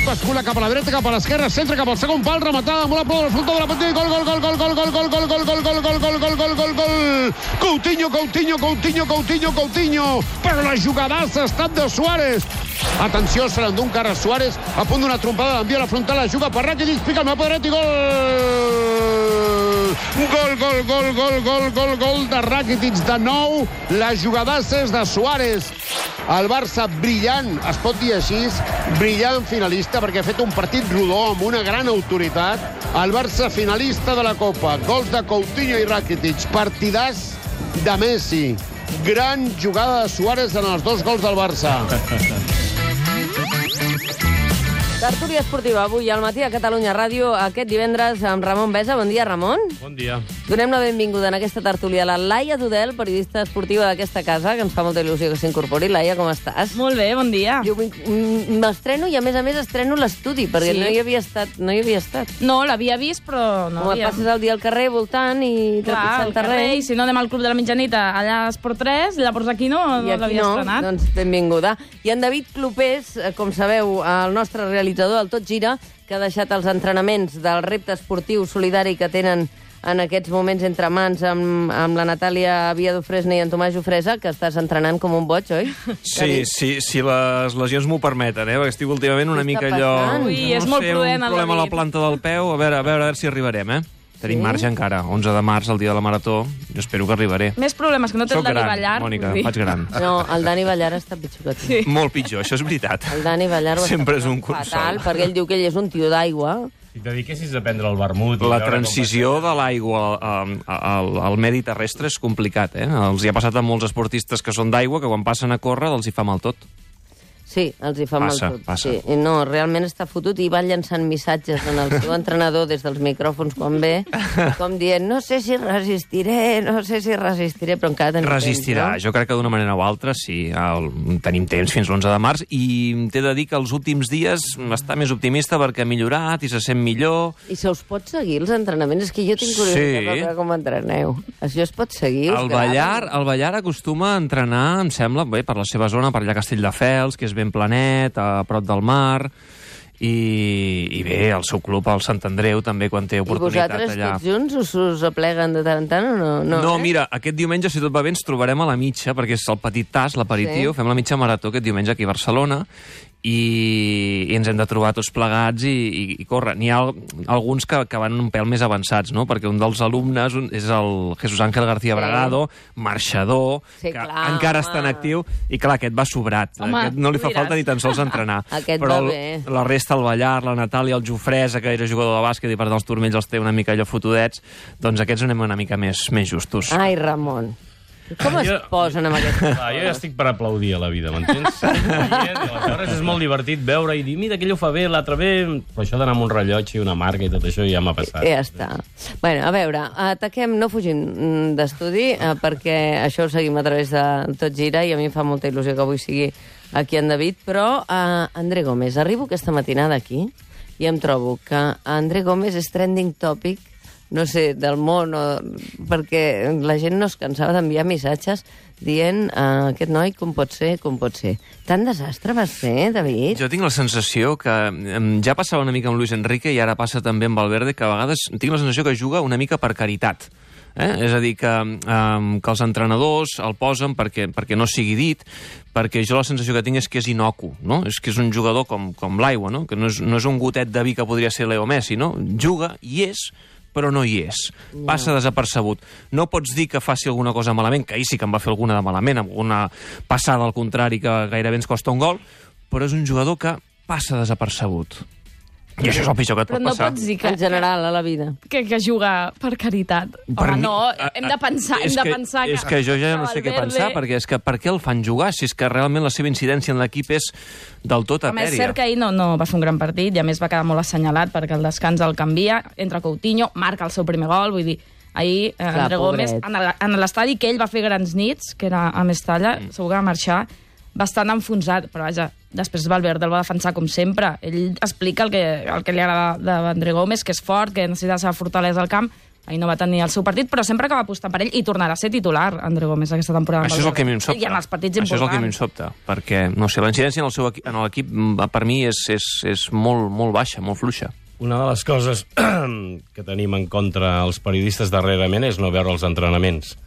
Bascula cap a la dreta, cap a l'esquerra, centre cap al segon pal, rematada amb una prova del frontó de la petita, gol, gol, gol, gol, gol, gol, gol, gol, gol, gol, gol, gol, gol, gol, gol, gol, gol, Coutinho, però la jugadassa ha estat de Suárez. Atenció, se l'endú encara Suárez, a punt d'una trompada, l'envia a la frontal, la juga per Rakitic, pica el mapa dret i gol! Gol de Rakitic de nou, la jugadassa és de Suárez. El Barça brillant, es pot dir així, brillant finalista, perquè ha fet un partit rodó amb una gran autoritat. El Barça finalista de la Copa, gols de Coutinho i Rakitic, partidàs de Messi. Gran jugada de Suárez en els dos gols del Barça. Tertúlia esportiva avui al matí a Catalunya Ràdio, aquest divendres amb Ramon Besa. Bon dia, Ramon. Bon dia. Donem la benvinguda en aquesta tertúlia a la Laia Dudel, periodista esportiva d'aquesta casa, que ens fa molta il·lusió que s'incorpori. Laia, com estàs? Molt bé, bon dia. Jo m'estreno i, a més estreno l'estudi, perquè no hi havia estat. No, l'havia vist, però no havia... Passes el dia al carrer voltant i trepitjant terreny. I si no anem al Club de la Mitjanit allà a Esport 3, llavors aquí no l'havia estrenat. Doncs benvinguda. I en David Clopés, com sabeu, el nostre realitzador del Tot Gira, que ha deixat els entrenaments del repte esportiu solidari que tenen en aquests moments entre mans amb la Natàlia Viadofresne i en Tomàs Jofresa, que estàs entrenant com un boig, oi? Sí, si les lesions m'ho permeten, perquè estic últimament una mica allò... Ui, és molt prudent, un problema a la planta del peu, a veure si arribarem, Tenim marge encara, 11 de març, el dia de la Marató, jo espero que arribaré. Més problemes que no té el Dani Ballar. Mònica, faig gran. No, el Dani Ballar està pitjor que tu. Sí. Molt pitjor, això és veritat. El Dani Ballar sempre és un consol. Fatal, perquè ell diu que ell és un tio d'aigua. Si et dediquessis a prendre el vermut... La transició de l'aigua al medi terrestre és complicat, Els hi ha passat a molts esportistes que són d'aigua, que quan passen a córrer els hi fa mal tot. Sí, els hi fa mal tot. Passa. Sí. No, realment està fotut i va llançant missatges en el seu entrenador des dels micròfons quan ve, com dient, no sé si resistiré, però encara tenim Resistirà. temps, no? Jo crec que d'una manera o altra, sí. Tenim temps fins l'11 de març i t'he de dir que els últims dies està més optimista perquè ha millorat i se sent millor. I se us pot seguir els entrenaments? És que jo tinc curiositat per veure com entreneu. Això es pot seguir? El Ballar acostuma a entrenar, em sembla, bé, per la seva zona, per allà Castelldefels, que és ben planet, a prop del mar, i bé, el seu club, el Sant Andreu, també, quan té oportunitat allà. I vosaltres tots junts us apleguen de tant en tant o no? No, mira, aquest diumenge, si tot va bé, ens trobarem a la mitja, perquè és el petit tas, l'aperitiu, fem la mitja marató aquest diumenge aquí a Barcelona, i ens hem de trobar tots plegats i córrer. N'hi ha alguns que van un pèl més avançats, no? Perquè un dels alumnes és el Jesús Ángel García Bragado, marxador, que encara està en actiu, i clar, aquest va sobrat. Aquest no li fa falta ni tan sols entrenar. Però la resta, el Ballar, la Natàlia, el Jofresa, que era jugador de bàsquet i per tant els turmells els té una mica allò fotudets, doncs aquests anem una mica més justos. Ai, Ramon. Com es posen amb aquesta cosa? Jo ja estic per aplaudir a la vida, m'entens? Aleshores és molt divertit veure i dir, mira, aquell ho fa bé, l'altre bé... Però això d'anar amb un rellotge i una marca i tot això ja m'ha passat. Ja està. Bueno, a veure, ataquem, no fugim d'estudi, perquè això ho seguim a través de Tot Gira i a mi em fa molta il·lusió que avui sigui aquí en David, però André Gómez, arribo aquesta matinada aquí i em trobo que André Gómez és trending topic, no sé, del món, perquè la gent no es cansava d'enviar missatges dient aquest noi com pot ser. Tant desastre va ser, David? Jo tinc la sensació que ja passava una mica amb Luis Enrique i ara passa també amb Valverde, que a vegades tinc la sensació que juga una mica per caritat. És a dir, que els entrenadors el posen perquè no sigui dit, perquè jo la sensació que tinc és que és inocu, no? És que és un jugador com l'aigua, no? Que no és un gotet de vi que podria ser Leo Messi, no? Juga i és, però no hi és. Passa desapercebut. No pots dir que faci alguna cosa malament, que ahir sí que en va fer alguna de malament, amb una passada al contrari que gairebé ens costa un gol, però és un jugador que passa desapercebut. I això és el pitjor que et pot passar. Però no pots dir que... En general, a la vida. Que juga per caritat. Home, no, hem de pensar que... És que jo ja no sé què pensar, perquè és que per què el fan jugar si és que realment la seva incidència en l'equip és del tot etèria? A més, cert que ahir no va fer un gran partit i a més va quedar molt assenyalat perquè el descans el canvia, entra Coutinho, marca el seu primer gol, vull dir, ahir André Gómez en l'estadi que ell va fer grans nits, que era a Mestalla, segur que va marxar bastant enfonsat, però vaja, després Valverde el va defensar com sempre. Ell explica el que li agrada d'André Gómez, que és fort, que necessita la seva fortalesa al camp, ahir no va tenir el seu partit, però sempre que va apostar per ell i tornarà a ser titular, André Gómez, aquesta temporada. Això és el que a mi em sobta. I en els partits importants. Això és el que a mi em sobta, perquè, no sé, la incidència en l'equip per mi és molt baixa, molt fluixa. Una de les coses que tenim en contra els periodistes darrerament és no veure els entrenaments,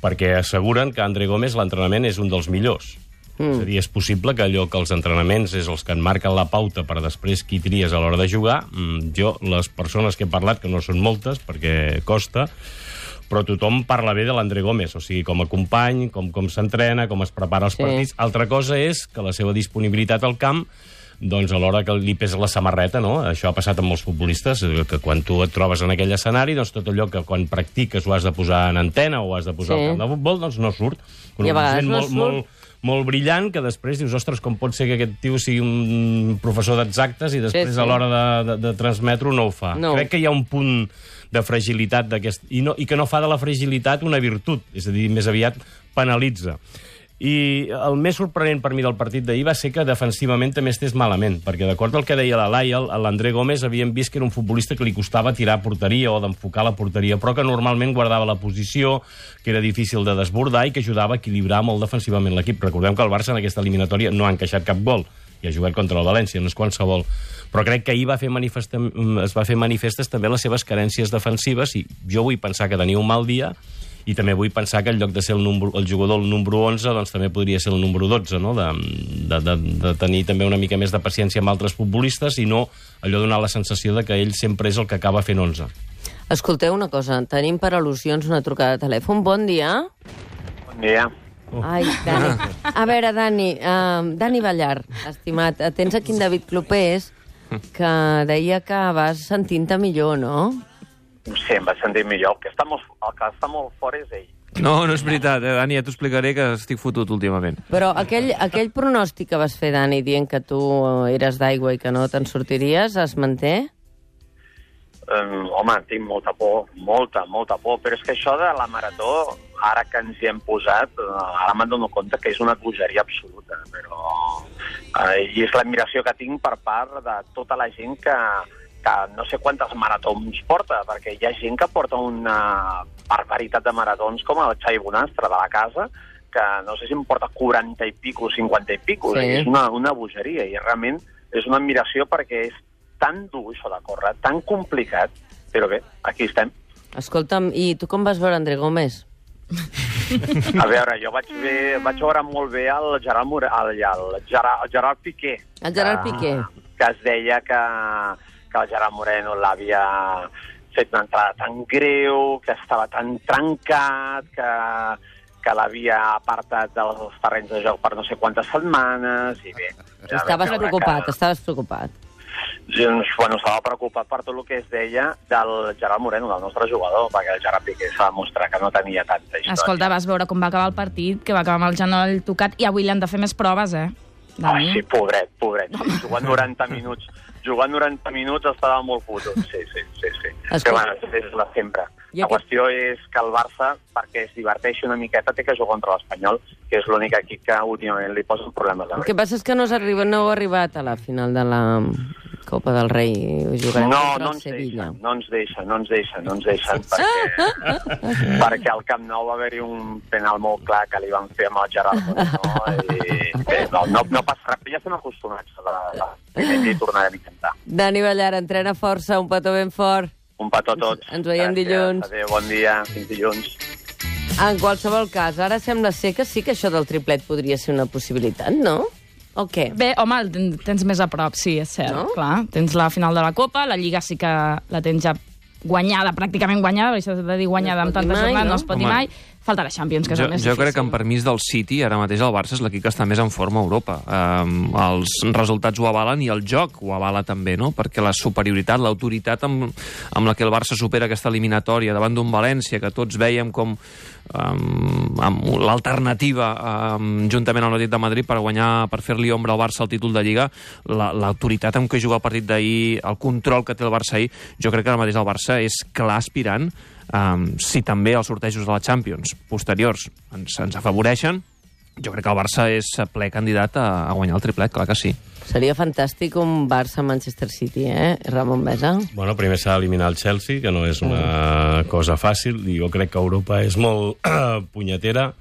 perquè asseguren que André Gómez l'entrenament és un dels millors. És a dir, és possible que allò que els entrenaments és els que en marquen la pauta per després qui tries a l'hora de jugar. Jo, les persones que he parlat, que no són moltes, perquè costa, però tothom parla bé de l'André Gómez, o sigui, com a company, com s'entrena, com es prepara els partits. Altra cosa és que la seva disponibilitat al camp, doncs a l'hora que li pesa la samarreta, no? Això ha passat amb molts futbolistes, que quan tu et trobes en aquell escenari, doncs tot allò que quan practiques ho has de posar en antena o has de posar al camp de futbol, doncs no surt. I a vegades no surt. Molt brillant, que després dius, ostres, com pot ser que aquest tio sigui un professor d'exactes i després a l'hora de transmetre-ho no ho fa. Crec que hi ha un punt de fragilitat d'aquest... I que no fa de la fragilitat una virtut, és a dir, més aviat penalitza. I el més sorprenent per mi del partit d'ahir va ser que defensivament també estés malament, perquè d'acord al que deia la Laia, l'André Gómez havíem vist que era un futbolista que li costava tirar a porteria o d'enfocar la porteria, però que normalment guardava la posició, que era difícil de desbordar i que ajudava a equilibrar molt defensivament l'equip. Recordem que el Barça en aquesta eliminatòria no ha encaixat cap gol, i ha jugat contra el València, no és qualsevol. Però crec que ahir es va fer manifestes també les seves carències defensives, i jo vull pensar que tenia un mal dia, i també vull pensar que en lloc de ser el jugador el número 11, doncs també podria ser el número 12, no? De tenir també una mica més de paciència amb altres futbolistes i no allò donar la sensació de que ell sempre és el que acaba fent 11. Escolteu una cosa, tenim per al·lusions una trucada de telèfon. Bon dia. Bon dia. Ai, Dani. A veure, Dani Ballar, estimat, tens aquí en David Clopés, que deia que vas sentint-te millor, no? Sí, em vaig sentir millor. El que està molt fort és ell. No és veritat, Dani, ja t'ho explicaré que estic fotut últimament. Però aquell pronòstic que vas fer, Dani, dient que tu eres d'aigua i que no te'n sortiries, es manté? Home, tinc molta por, molta por, però és que això de la marató, ara que ens hi hem posat, ara me'n dono compte que és una bogeria absoluta, però i és l'admiració que tinc per part de tota la gent que no sé quantes maratons porta, perquè hi ha gent que porta una barbaritat de maratons com el Xavi Bonastre de la casa, que no sé si em porta 40 i pico, 50 i pico, és una bogeria, i realment és una admiració perquè és tan dur això de córrer, tan complicat, però bé, aquí estem. Escolta'm, i tu com vas veure André Gómez? A veure, jo vaig veure molt bé el Gerard Piqué. El Gerard Piqué. Que es deia que el Gerard Moreno l'havia fet una entrada tan greu, que estava tan trencat, que l'havia apartat dels terrenys de joc per no sé quantes setmanes, i bé... Estaves preocupat. Bueno, estava preocupat per tot el que es deia del Gerard Moreno, del nostre jugador, perquè el Gerard Piqué s'ha demostrat que no tenia tanta història. Escolta, vas veure com va acabar el partit, que va acabar amb el genoll tocat, i avui li han de fer més proves, Ai, sí, pobret. Jugant 90 minuts estava molt fotut, sí. Però bueno, és la sempre. La qüestió és que el Barça, perquè es diverteixi una miqueta, té que jugar contra l'Espanyol, que és l'únic equip que últimament li posen problemes. El que passa és que no heu arribat a la final de la Copa del Rei. Jugarem contra el Sevilla. No ens deixen, perquè al Camp Nou va haver-hi un penal molt clar que li van fer amb el Gerard Moreno, i bé, no passa res, ja estem acostumats i tornarem a intentar. Dani Ballar, entrena força, un petó ben fort. Un petó a tots. Ens veiem dilluns. Adéu, bon dia, fins dilluns. En qualsevol cas, ara sembla ser que sí que això del triplet podria ser una possibilitat, no? O què? Bé, home, el tens més a prop, sí, és cert. No? Clar, tens la final de la Copa, la Lliga sí que la tens ja guanyada, pràcticament guanyada, perquè s'ha de dir guanyada amb tantes jornades, no es pot dir mai. Falta la Champions, que és el més difícil. Jo crec que en permís del City, ara mateix el Barça és l'equip que està més en forma a Europa. Els resultats ho avalen i el joc ho avala també, no? Perquè la superioritat, l'autoritat amb la que el Barça supera aquesta eliminatòria davant d'un València, que tots veiem com amb l'alternativa juntament amb l'Atlètic de Madrid per fer-li ombra al Barça al títol de Lliga, l'autoritat amb què juga el partit d'ahir, el control que té el Barça ahir, jo crec que ara mateix el Barça és clar aspirant. Si també els sortejos de la Champions posteriors ens afavoreixen, jo crec que el Barça és ple candidat a guanyar el triplet, clar que sí. Seria fantàstic un Barça-Manchester City, Ramon Besa? Bueno, primer s'ha d'eliminar el Chelsea, que no és una cosa fàcil, i jo crec que Europa és molt punyetera,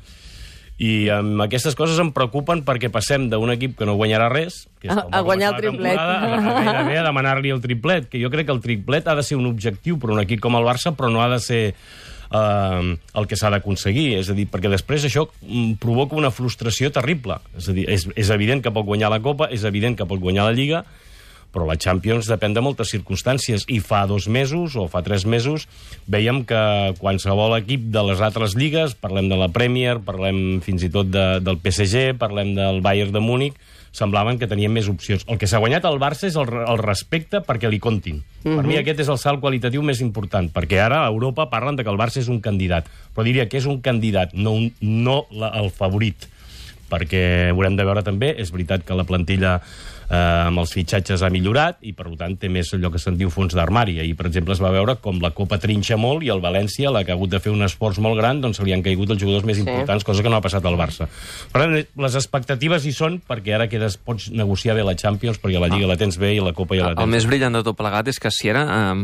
i amb aquestes coses em preocupen perquè passem d'un equip que no guanyarà res, que és a guanyar el triplet, a demanar-li el triplet, que jo crec que el triplet ha de ser un objectiu per un equip com el Barça, però no ha de ser el que s'ha d'aconseguir, és a dir, perquè després això provoca una frustració terrible. És a dir, és evident que pot guanyar la Copa, és evident que pot guanyar la Lliga, però la Champions depèn de moltes circumstàncies, i fa 2 mesos o fa 3 mesos veiem que qualsevol equip de les altres lligues, parlem de la Premier, parlem fins i tot del PSG, parlem del Bayern de Múnich, semblaven que tenien més opcions. El que s'ha guanyat el Barça és el respecte perquè li comptin. Per mi aquest és el salt qualitatiu més important, perquè ara a Europa parlen de que el Barça és un candidat, però diria que és un candidat, no el favorit, perquè haurem de veure també, és veritat que la plantilla amb els fitxatges ha millorat i, per tant, té més allò que se'n diu fons d'armari. Ahir, per exemple, es va veure com la Copa trinxa molt i el València, la que ha hagut de fer un esforç molt gran, doncs se li han caigut els jugadors més importants, cosa que no ha passat al Barça. Per tant, les expectatives hi són, perquè ara pots negociar bé la Champions, perquè la Lliga la tens bé i la Copa ja la tens. El més brillant de tot plegat és que si ara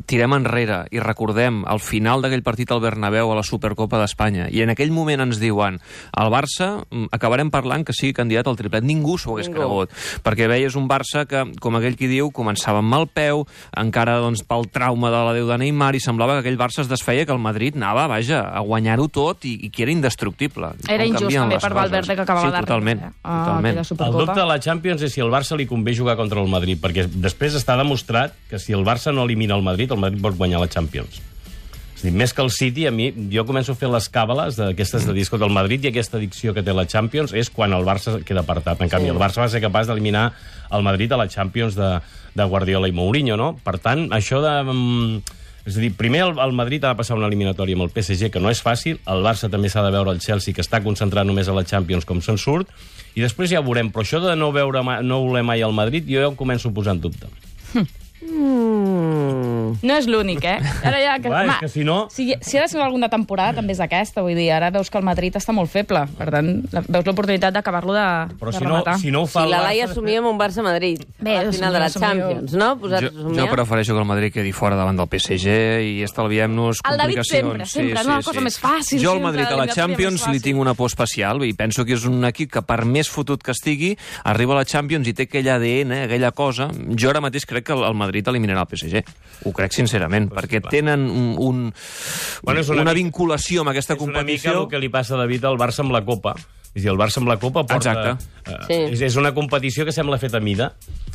tirem enrere i recordem el final d'aquell partit al Bernabéu a la Supercopa d'Espanya, i en aquell moment ens diuen el Barça, acabarem parlant que sigui candidat al triplet. Ningú s'ho hagués cregut, perquè veies un Barça que, com aquell qui diu, començava amb mal peu, encara doncs, pel trauma de l'adeu de Neymar, i semblava que aquell Barça es desfeia, que el Madrid anava, vaja, a guanyar-ho tot i que era indestructible. Era injust també per Valverde, que acabava d'arribar. Totalment. El dubte de la Champions és si el Barça li convé jugar contra el Madrid, perquè després està demostrat que si el Barça no elimina el Madrid pot guanyar la Champions. És a dir, més que el City, a mi, jo començo a fer les càbales d'aquestes de dir, escolta, el Madrid i aquesta addicció que té la Champions és quan el Barça queda apartat. En canvi, el Barça va ser capaç d'eliminar el Madrid a la Champions de Guardiola i Mourinho, no? Per tant, això de... És a dir, primer el Madrid ha de passar una eliminatòria amb el PSG, que no és fàcil, el Barça també s'ha de veure el Chelsea, que està concentrat només a la Champions, com se'n surt, i després ja ho veurem. Però això de no voler mai el Madrid, jo ja ho començo a posar en dubte. No és l'únic, Ara ja, clar, és que si no... Si ha de ser alguna temporada, també és aquesta. Vull dir, ara veus que el Madrid està molt feble. Per tant, veus l'oportunitat d'acabar-lo de rematar. Si no ho fa el Barça... Si la Laia assumia amb un Barça-Madrid al final de la Champions, no? Jo prefereixo que el Madrid quedi fora davant del PSG i estalviem-nos complicacions. El David sempre, una cosa més fàcil. Jo al Madrid a la Champions li tinc una por especial i penso que és un equip que, per més fotut que estigui, arriba a la Champions i té aquell ADN, aquella cosa. Jo ara mateix crec que el Madrid eliminarà el PSG. Ho crec sincerament, perquè tenen una vinculació amb aquesta competició. És una mica el que li passa a David al Barça amb la Copa. És a dir, el Barça amb la Copa porta... És una competició que sembla feta a mida.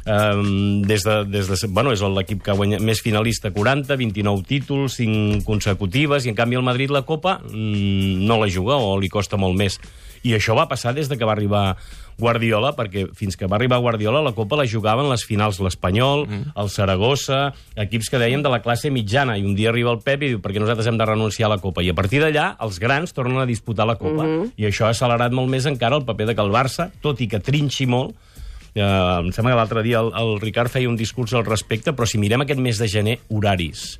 És l'equip que guanya més finalista, 40, 29 títols, 5 consecutives, i en canvi el Madrid la Copa no la juga o li costa molt més. I això va passar des de que va arribar Guardiola, perquè fins que va arribar Guardiola la Copa la jugaven les finals l'Espanyol, el Saragossa, equips que deien de la classe mitjana, i un dia arriba el Pep i diu perquè nosaltres hem de renunciar a la Copa, i a partir d'allà els grans tornen a disputar la Copa, i això ha accelerat molt més encara el paper de que el Barça, tot i que trinxi molt, em sembla que l'altre dia el Ricard feia un discurs al respecte, però si mirem aquest mes de gener, horaris,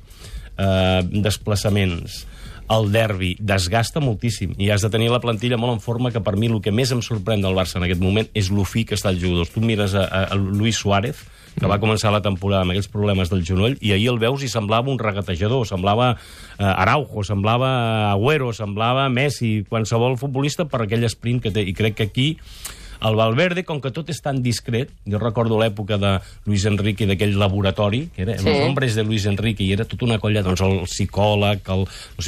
desplaçaments, el derbi desgasta moltíssim i has de tenir la plantilla molt en forma, que per mi el que més em sorprèn del Barça en aquest moment és l'ofí que està els jugadors. Tu mires a Luis Suárez, que va començar la temporada amb aquells problemes del genoll, i ahir el veus i semblava un regatejador, semblava Araujo, semblava Agüero, semblava Messi, qualsevol futbolista per aquell sprint que té, i crec que aquí el Valverde, com que tot és tan discret, jo recordo l'època de Luis Enrique, d'aquell laboratori, que era els hombres de Luis Enrique, i era tota una colla, doncs el psicòleg,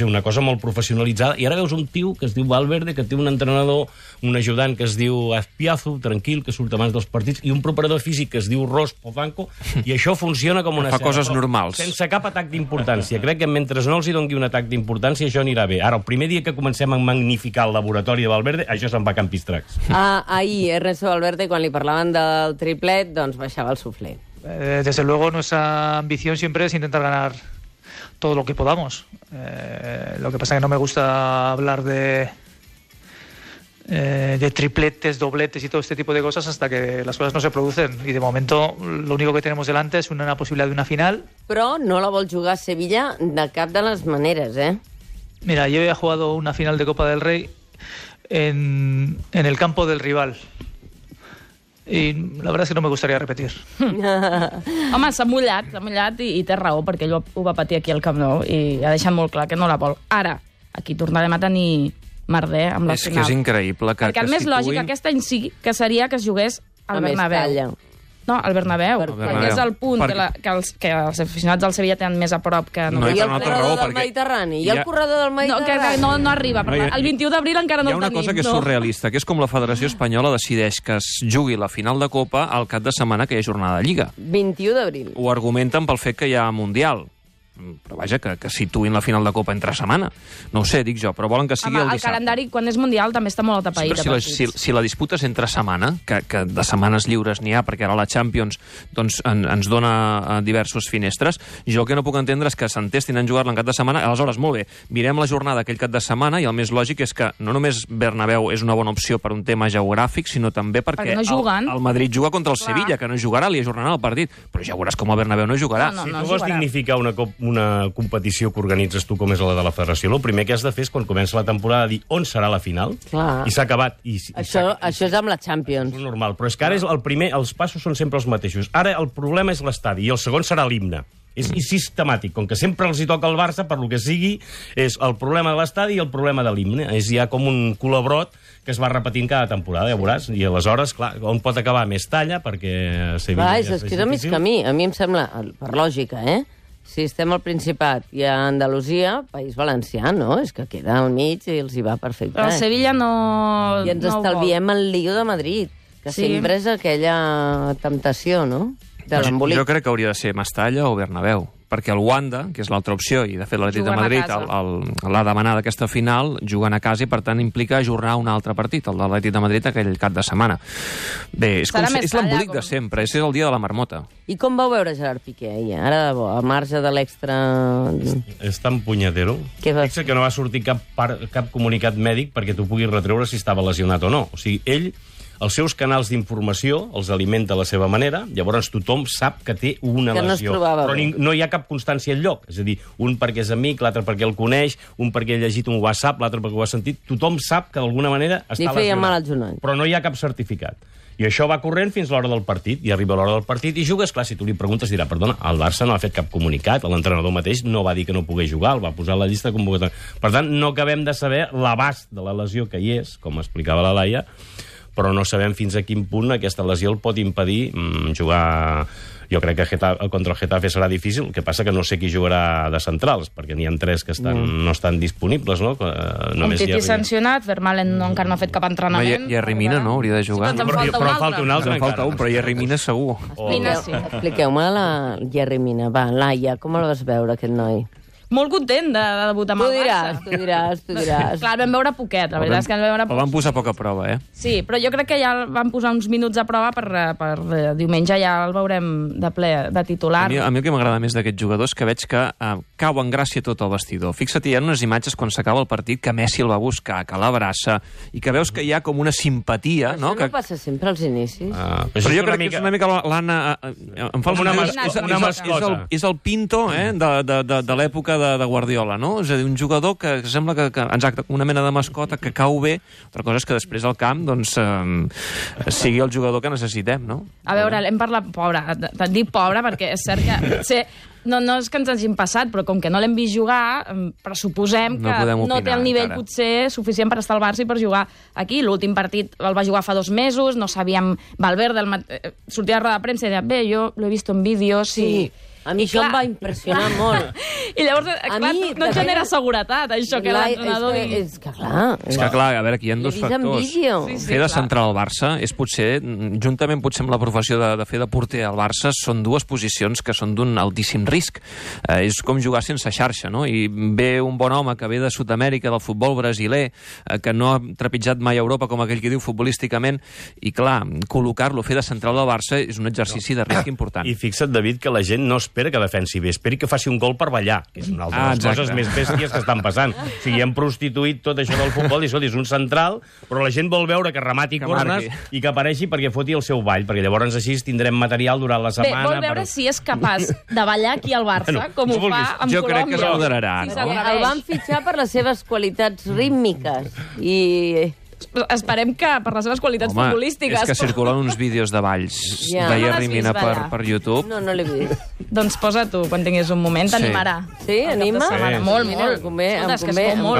una cosa molt professionalitzada, i ara veus un tio que es diu Valverde, que té un entrenador, un ajudant que es diu Azpiazu, tranquil, que surt abans dels partits, i un preparador físic que es diu Ros Podanco, i això funciona com una... Fa coses normals. Sense cap atac d'importància. Crec que mentre no els hi doni un atac d'importància, això anirà bé. Ara, el primer dia que comencem a magnificar el laboratori de Valverde, això se'n va a campistracs. Ahir Ernesto Valverde, quan li parlaven del triplet, doncs baixava el suflé. Desde luego, nuestra ambición siempre es intentar ganar todo lo que podamos. Lo que pasa es que no me gusta hablar de tripletes, dobletes y todo este tipo de cosas hasta que las cosas no se producen. Y de momento, lo único que tenemos delante es una posibilidad de una final. Però no la vol jugar a Sevilla de cap de les maneres, Mira, yo he jugado una final de Copa del Rey en el campo del rival. I la veritat és que no me gustaría repetir. Home, s'ha mullat i té raó, perquè ell ho va patir aquí al Camp Nou i ha deixat molt clar que no la vol. Ara, aquí tornarem a tenir merder amb la final. És que és increïble que perquè el més lògic aquest any sí que seria que es jugués al Bernabéu. No, al Bernabéu, perquè és el punt que els aficionats del Sevilla tenen més a prop que... I el corredor del Mediterrani? I el corredor del Mediterrani? No arriba, el 21 d'abril encara no el tenim. Hi ha una cosa que és surrealista, que és com la Federació Espanyola decideix que es jugui la final de Copa al cap de setmana que hi ha jornada de Lliga. 21 d'abril. Ho argumenten pel fet que hi ha Mundial. Però vaja, que situïn la final de Copa entre setmana. No ho sé, dic jo, però volen que sigui el dissabte. El calendari, quan és Mundial, també està molt atapeït. Si la disputa és entre setmana, que de setmanes lliures n'hi ha, perquè ara la Champions doncs, ens dona diversos finestres, jo el que no puc entendre és que s'entestin en jugar-la en cap de setmana. Aleshores, molt bé, mirem la jornada aquell cap de setmana i el més lògic és que no només Bernabéu és una bona opció per un tema geogràfic, sinó també perquè el Madrid juga contra el Sevilla, que no jugarà, li ajornarà el partit. Però ja veuràs com el Bernabéu no jugarà. Si tu vols dignificar una competició que organitzes tu com és la de la federació, el primer que has de fer és quan comença la temporada dir on serà la final. Clar. I s'ha acabat. Això és amb la Champions. És normal, però és que ara és el primer, els passos són sempre els mateixos. Ara el problema és l'estadi i el segon serà l'himne. És sistemàtic, com que sempre els hi toca al Barça, per lo que sigui, és el problema de l'estadi i el problema de l'himne. És ja com un colabrot que es va repetint cada temporada, ja veuràs. I aleshores, clar, on pot acabar més talla, perquè Sevilla és que és el mig camí. A mi em sembla, per lògica, si estem al Principat i a Andalusia, País Valencià, no? És que queda al mig i els hi va perfecte. Però Sevilla no... I ens estalviem el lío de Madrid, que sempre és aquella temptació, no? De l'embolic. Jo crec que hauria de ser Mestalla o Bernabéu, perquè el Wanda, que és l'altra opció, i de fet l'Atlètic de Madrid l'ha demanat aquesta final, jugant a casa i per tant implica ajornar un altre partit, el de l'Atlètic de Madrid aquell cap de setmana. Bé, és l'embolic de sempre, és el dia de la marmota. I com vau veure Gerard Piqué ahir? Ara, de bo, a marge de l'extra... És tan punyetero. Fixa que no va sortir cap comunicat mèdic perquè tu puguis retreure si estava lesionat o no. O sigui, ell... Els seus canals d'informació els alimenta a la seva manera, llavors tothom sap que té una lesió. Però no hi ha cap constància enlloc. És a dir, un perquè és amic, l'altre perquè el coneix, un perquè ha llegit un WhatsApp, l'altre perquè ho ha sentit. Tothom sap que d'alguna manera està lesionat. Però no hi ha cap certificat. I això va corrent fins a l'hora del partit. I arriba l'hora del partit i jugues. Clar, si tu li preguntes, dirà, perdona, el Barça no ha fet cap comunicat, l'entrenador mateix no va dir que no pogués jugar, el va posar a la llista de convocatòria. Per tant, no acabem de saber l'abast de la lesió que hi és, com explicava la Laia, però no sabem fins a quin punt aquesta lesió el pot impedir jugar... Jo crec que contra el Getafe serà difícil, el que passa que no sé qui jugarà de centrals, perquè n'hi ha 3 que no estan disponibles, no? Titi sancionat, Vermaelen encara no ha fet cap entrenament. Jerry Mina no hauria de jugar. Però falta un altre. Falta un, però Jerry Mina segur. Expliqueu-me la Jerry Mina. Va, Laia, com el vas veure, aquest noi? Molt content de debutar amb el Barça. Tu diràs. Clar, vam veure poquet, la veritat és que vam veure... El van posar poca prova, Sí, però jo crec que ja el van posar uns minuts a prova per diumenge ja el veurem de ple, de titular. A mi el que m'agrada més d'aquest jugador és que veig que cau en gràcia tot el vestidor. Fixa't, hi ha unes imatges quan s'acaba el partit que Messi el va buscar, que l'abraça, i que veus que hi ha com una simpatia... Això no passa sempre als inicis. Però jo crec que és una mica l'Anna... És el Pinto de l'època de Guardiola, no? És a dir, un jugador que sembla que exacte, una mena de mascota que cau bé. Altra cosa és que després al camp doncs, sigui el jugador que necessitem, no? A veure, hem parlat pobre. Et dic pobre perquè és cert que potser no és que ens hagin passat, però com que no l'hem vist jugar, pressuposem que no té el nivell potser suficient per estar al Barça i per jugar aquí. L'últim partit el va jugar fa 2 mesos, no sabíem... Valverde sortia a la roda de premsa i deia, bé, jo l'he vist en vídeos i... A mi això em va impressionar molt. I llavors, clar, no et genera seguretat, això, que l'entrenador digui... És que clar, a veure, aquí hi ha 2 factors. Fer de central al Barça és potser, juntament potser amb la professió de fer de porter al Barça, són 2 posicions que són d'un altíssim risc. És com jugar sense xarxa, no? I ve un bon home que ve de Sud-amèrica, del futbol brasiler, que no ha trepitjat mai a Europa, com aquell que diu futbolísticament, i clar, col·locar-lo, fer de central del Barça és un exercici de risc important. I fixa't, David, que la gent no espera que defensi bé, esperi que faci un gol per ballar, que és una altra de les coses més bèsties que estan passant. O sigui, hem prostituït tot això del futbol, i és un central, però la gent vol veure que remati cornes i que apareixi perquè foti el seu ball, perquè llavors així tindrem material durant la setmana. Bé, vol veure si és capaç de ballar aquí al Barça, com ho fa amb Colòmbia. Jo crec que es moderarà, no? El van fitxar per les seves qualitats rítmiques i Esperem que per les seves qualitats futbolístiques... És que circulen uns vídeos de balls de Jerry Mina per YouTube. No l'he vist. Doncs posa tu, quan tinguis un moment, t'animarà. Sí, anima? Molt, molt. Em convé.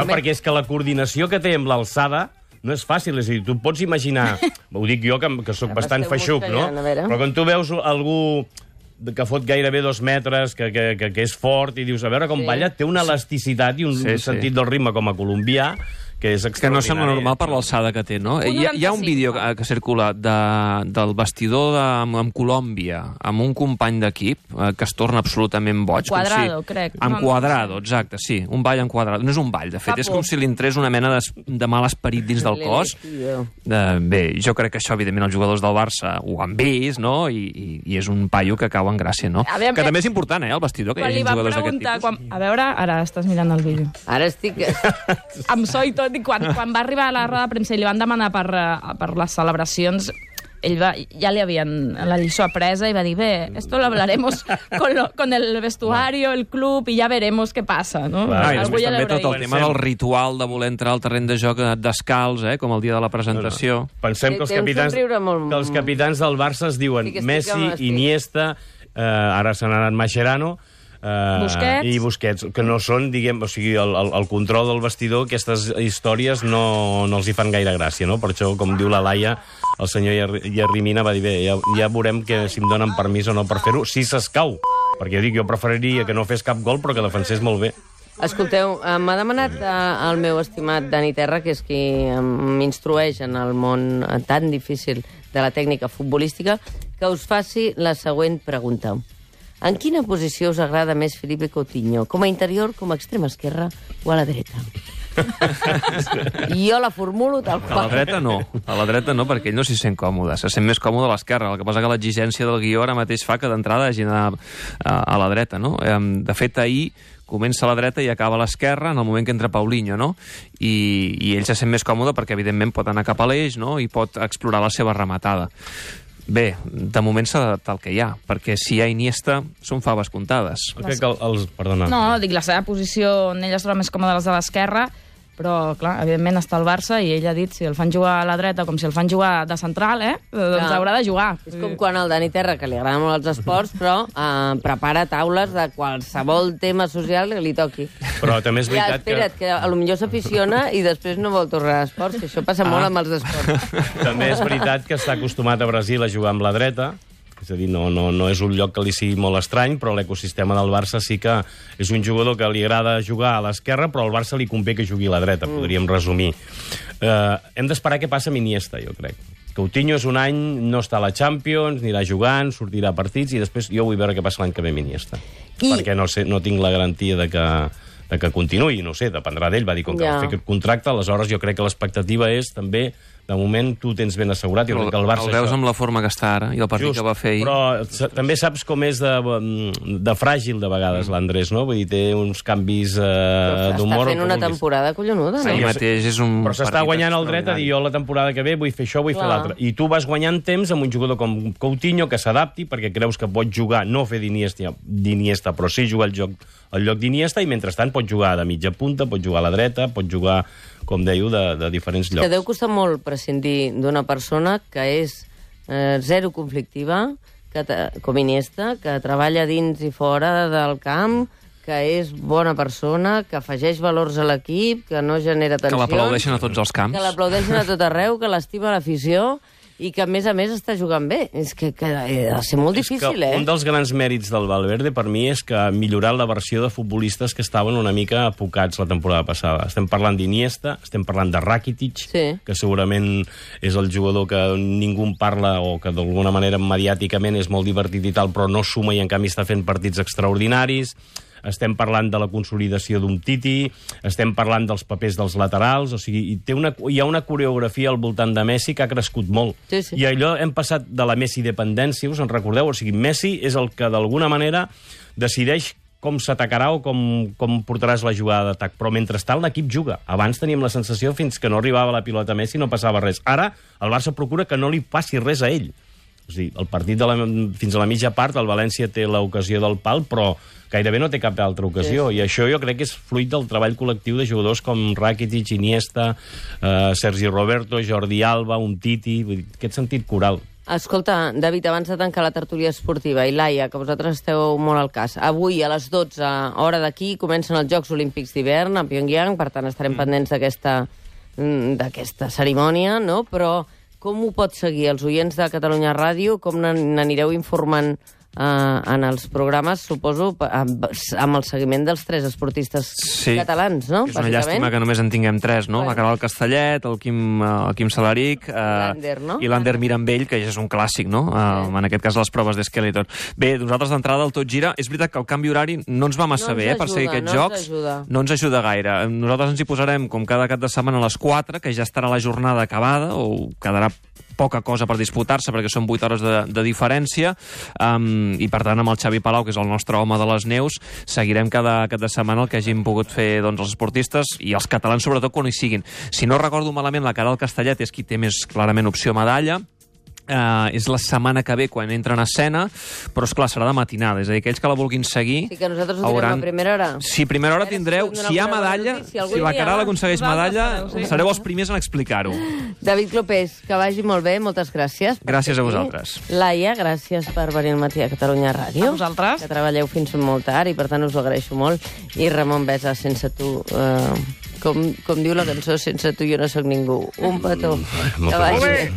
Perquè és que la coordinació que té amb l'alçada no és fàcil, és a dir, tu pots imaginar... Ho dic jo, que sóc bastant feixuc, no? Però quan tu veus algú que fot gairebé 2 metres, que és fort, i dius, a veure com balla, té una elasticitat i un sentit del ritme com a colombià, que és extraordinari. Que no sembla normal per l'alçada que té, no? Hi ha un vídeo que circula del vestidor amb Colòmbia, amb un company d'equip que es torna absolutament boig. Quadrado, crec. Amb Quadrado, exacte, sí. Un ball amb Quadrado. No és un ball, de fet, és com si li entrés una mena de mal esperit dins del cos. Bé, jo crec que això, evidentment, els jugadors del Barça ho han vist, no? I és un paio que cau en gràcia, no? Que també és important, el vestidor, que hi hagi jugadors d'aquest tipus. A veure, ara estàs mirant el vídeo. Ara estic... Amb so i tot, i quan va arribar a la roda de premsa i li van demanar per les celebracions, ell ja li havien la lliçó apresa i va dir, bé, esto lo hablaremos con el vestuario, el club, i ja veremos què passa, no? I després també tot el tema del ritual de voler entrar al terreny de joc descalç, com el dia de la presentació. Pensem que els capitans del Barça es diuen Messi, Iniesta, ara se n'ha anat Mascherano, i Busquets, que no són, diguem, o sigui, el control del vestidor, aquestes històries no els hi fan gaire gràcia, no? Per això, com diu la Laia, el senyor Jerry Mina va dir, bé, ja veurem si em donen permís o no per fer-ho, si s'escau, perquè jo preferiria que no fes cap gol, però que defensés molt bé. Escolteu, m'ha demanat el meu estimat Dani Terra, que és qui m'instrueix en el món tan difícil de la tècnica futbolística, que us faci la següent pregunta. En quina posició us agrada més Felipe Coutinho? Com a interior, com a extrema esquerra o a la dreta? Jo la formulo tal qual. A la dreta no, perquè ell no s'hi sent còmode. Se sent més còmode a l'esquerra. El que passa que l'exigència del guió ara mateix fa que d'entrada hagi d'anar a la dreta, no? De fet, ahir comença a la dreta i acaba a l'esquerra en el moment que entra Paulinho, no? I ell se sent més còmode perquè, evidentment, pot anar cap a l'eix, no? I pot explorar la seva rematada. Bé, de moment s'ha d'adaptar el que hi ha, perquè si hi ha Iniesta, són faves comptades. Perdona. No, dic, la seva posició on ell es troba més còmode les de l'esquerra, però, clar, evidentment està al Barça i ell ha dit si el fan jugar a la dreta com si el fan jugar de central, doncs haurà de jugar. És com quan al Dani Terra, que li agraden molt els esports, però prepara taules de qualsevol tema social que li toqui. Però també és veritat espera't, que potser s'aficiona i després no vol tornar a esports, que això passa molt amb els esports. També és veritat que està acostumat a Brasil a jugar amb la dreta, és a dir, no és un lloc que li sigui molt estrany, però l'ecosistema del Barça sí que és un jugador que li agrada jugar a l'esquerra, però al Barça li convé que jugui a la dreta, podríem resumir. Hem d'esperar què passa amb Iniesta, jo crec. Coutinho és un any, no està a la Champions, anirà jugant, sortirà a partits, i després jo vull veure què passa l'any que ve amb Iniesta. Perquè no tinc la garantia de que continuï, no sé, dependrà d'ell, va dir com que va fer aquest contracte, aleshores jo crec que l'expectativa és també, de moment tu tens ben assegurat, jo crec que el Barça... El veus amb la forma que està ara i el partit que va fer ahir. Però també saps com és de fràgil de vegades l'Andrés, no? Vull dir, té uns canvis d'humor... Està fent una temporada collonuda, no? Ahir mateix és un... Però s'està guanyant el dret a dir jo la temporada que ve vull fer això, vull fer l'altre. I tu vas guanyant temps amb un jugador com Coutinho que s'adapti perquè creus que pot jugar, no fer d'Iniesta, però sí jugar al lloc d'Iniesta, i mentrestant pot jugar de mitja punta, pot jugar a la dreta, pot jugar, com dèieu, de diferents llocs. Que deu costar molt prescindir d'una persona que és zero conflictiva, com Iniesta, que treballa dins i fora del camp, que és bona persona, que afegeix valors a l'equip, que no genera tensions... Que l'aplaudeixen a tots els camps. Que l'aplaudeixen a tot arreu, que l'estima l'afició... i que, a més, està jugant bé. És que ha de ser molt difícil, Un dels grans mèrits del Valverde, per mi, és que ha millorat la versió de futbolistes que estaven una mica apocats la temporada passada. Estem parlant d'Iniesta, estem parlant de Rakitic, que segurament és el jugador que ningú en parla o que d'alguna manera mediàticament és molt divertit i tal, però no suma i, en canvi, està fent partits extraordinaris. Estem parlant de la consolidació d'un Titi, estem parlant dels papers dels laterals, o sigui, hi ha una coreografia al voltant de Messi que ha crescut molt. I allò hem passat de la Messi-dependència, us en recordeu? O sigui, Messi és el que d'alguna manera decideix com s'atacarà o com portaràs la jugada d'atac. Però mentrestant l'equip juga. Abans teníem la sensació fins que no arribava la pilota a Messi no passava res. Ara el Barça procura que no li passi res a ell. O sigui, el partit fins a la mitja part, el València té l'ocasió del pal, però gairebé no té cap altra ocasió. I això jo crec que és fruit del treball col·lectiu de jugadors com Rakitic, Iniesta, Sergi Roberto, Jordi Alba, Umtiti, aquest sentit coral. Escolta, David, abans de tancar la tertúlia esportiva, i Laia, que vosaltres esteu molt al cas, avui a les 12, hora d'aquí, comencen els Jocs Olímpics d'hivern a Pyongyang, per tant estarem pendents d'aquesta cerimònia, no? Però com ho pot seguir els oients de Catalunya Ràdio? Com n'anireu informant en els programes, suposo, amb el seguiment dels 3 esportistes catalans, no? És una llàstima que només en tinguem 3, no? La Caral Castellet, el Quim Salaric i l'Ander Mirambell, que ja és un clàssic, no? En aquest cas, les proves d'Skeletor. Bé, nosaltres d'entrada al Tot Gira, és veritat que el canvi horari no ens va massa bé per seguir aquests jocs. No ens ajuda gaire. Nosaltres ens hi posarem, com cada cap de setmana, a les 4, que ja estarà la jornada acabada, o quedarà poca cosa per disputar-se, perquè són 8 hores de diferència, i per tant amb el Xavi Palau, que és el nostre home de les neus, seguirem cada cap de setmana el que hagin pogut fer els esportistes i els catalans, sobretot quan hi siguin. Si no recordo malament, la Caral Castellet és qui té més clarament opció medalla. És la setmana que ve quan entra en escena, però esclar, serà de matinada, és a dir, aquells que la vulguin seguir... Sí, que nosaltres ho tindrem a primera hora. Sí, primera hora tindreu, si hi ha medalla, si la Caral aconsegueix medalla, sereu els primers en explicar-ho. David Clopés, que vagi molt bé, moltes gràcies. Gràcies a vosaltres. Laia, gràcies per venir al matí a Catalunya Ràdio. A vosaltres. Que treballeu fins molt tard i per tant us ho agraeixo molt. I Ramon Besa, sense tu... Com diu la cançó, sense tu jo no sóc ningú. Un petó. Que vagi bé.